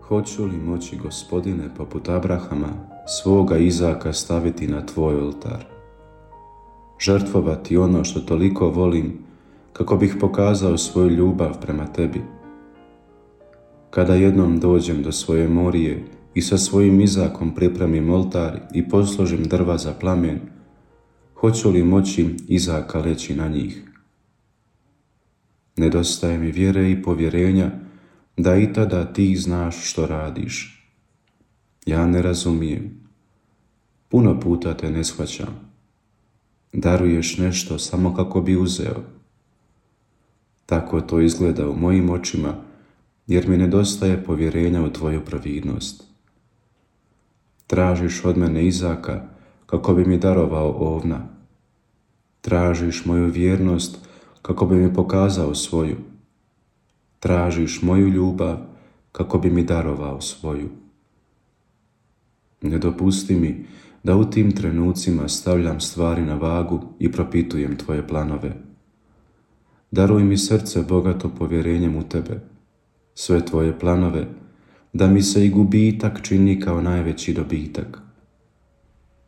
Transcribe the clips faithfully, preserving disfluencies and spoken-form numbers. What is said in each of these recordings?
Hoću li moći, Gospodine, poput Abrahama, svoga Izaka staviti na tvoj oltar? Žrtvovati ono što toliko volim, kako bih pokazao svoju ljubav prema tebi. Kada jednom dođem do svoje Morije i sa svojim Izakom pripremim oltar i posložim drva za plamen, hoću li moći Izaka leći na njih? Nedostaje mi vjere i povjerenja da i tada ti znaš što radiš. Ja ne razumijem. Puno puta te ne shvaćam. Daruješ nešto samo kako bi uzeo. Tako to izgleda u mojim očima, jer mi nedostaje povjerenja u tvoju pravidnost. Tražiš od mene Izaka kako bi mi darovao ovna. Tražiš moju vjernost kako bi mi pokazao svoju. Tražiš moju ljubav kako bi mi darovao svoju. Ne dopusti mi da u tim trenucima stavljam stvari na vagu i propitujem tvoje planove. Daruj mi srce bogato povjerenjem u tebe, sve tvoje planove, da mi se i gubitak čini kao najveći dobitak.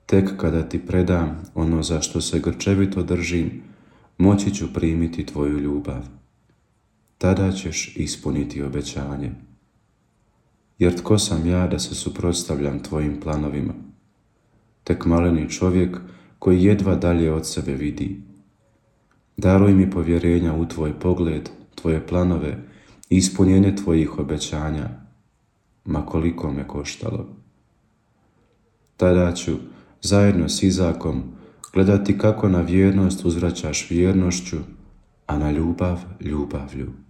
Tek kada ti predam ono za što se grčevito držim, moći ću primiti tvoju ljubav. Tada ćeš ispuniti obećanje. Jer tko sam ja da se suprotstavljam tvojim planovima? Tek maleni čovjek koji jedva dalje od sebe vidi. Daruj mi povjerenja u tvoj pogled, tvoje planove i ispunjenje tvojih obećanja, ma koliko me koštalo. Tada ću, zajedno s Izakom, gledati kako na vjernost uzvraćaš vjernošću, a na ljubav ljubavlju.